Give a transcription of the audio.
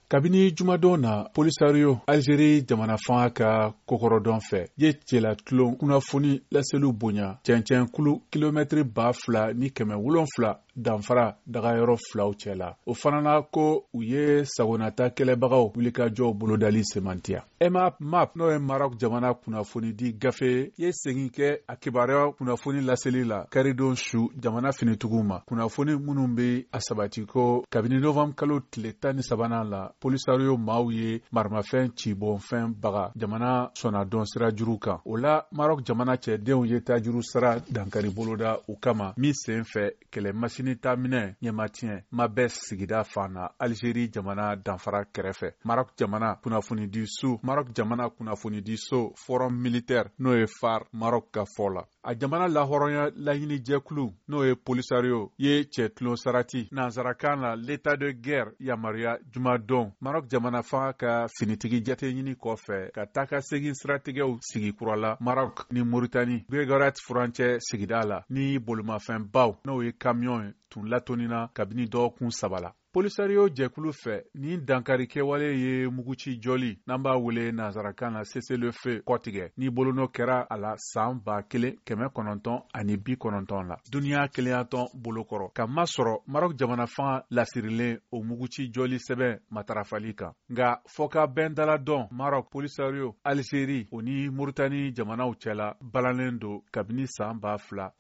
Kabini jumadon na, Polisario, Algerie jamana fanga ka kokɔrɔdɔn fɛ, ye cɛlatulon kunnafoni laseliw bonya cɛncɛnkulu kilomɛtiri 2700 danfara dagayɔrɔ filaw cɛ la. O fana na ko u ye sagonata kɛlɛbagaw wulikajɔw bolodali semantiya. Emap Map, n'o ye Maroc jamana kunnafonidi gafe ye, segin kɛ a kibaruya kunnafoni laseli la karidon su jamana finitigiw ma, kunnafoni minnu bɛ a sabati ko kabini novembre kalo tile 13nan la, Polisario maaw ye maramafɛn cibɔnfɛn baga jamana sɔnnadɔn sira juru kan. O la, Maroc jamana cɛdenw ye tajuru sara dankari boloda u kama min sen fɛ kɛlɛ masini ta minɛ ɲɛmatiɲɛ Mahbes sigida fan na, Algerie jamana danfara kɛrɛfɛ. Maroc jamana kunnafonidiso Forum militaire, n'o ye FAR Maroc ka fɔ la, a jamana lahɔrɔnya laɲinijɛkulu, n'o ye Polisario ye, cɛtulon sarati, nansarakan na l'état de guerre, yamaruya jumadon Maroc jamana fanga ka finitigi jateɲini kɔfɛ ka taa ka segin siratigɛw sigi kura la Maroc ni Mauritanie Guerguerat furancɛ sigida la, ni bolimafɛnbaw, n'o ye camion ye, tun latonina kabini dɔgɔkun 3 la. Polisario jɛkulu fɛ, nin dankari kɛwale ye muguci jɔli, n'an b'a wele nansarakan na cessez-le-feu, kɔtigɛ ni bolonɔ kɛra a la san 1990 la duniɲa kelenyatɔn bolokɔrɔ, ka masɔrɔ Maroc jamana fanga lasirilen o muguci jɔli sɛbɛn matarafali kan. Nka fɔkabɛn daladɔn Maroc, Polisario, Algérie o ni Mauritanie jamanaw cɛla balannen don kabini san 2019.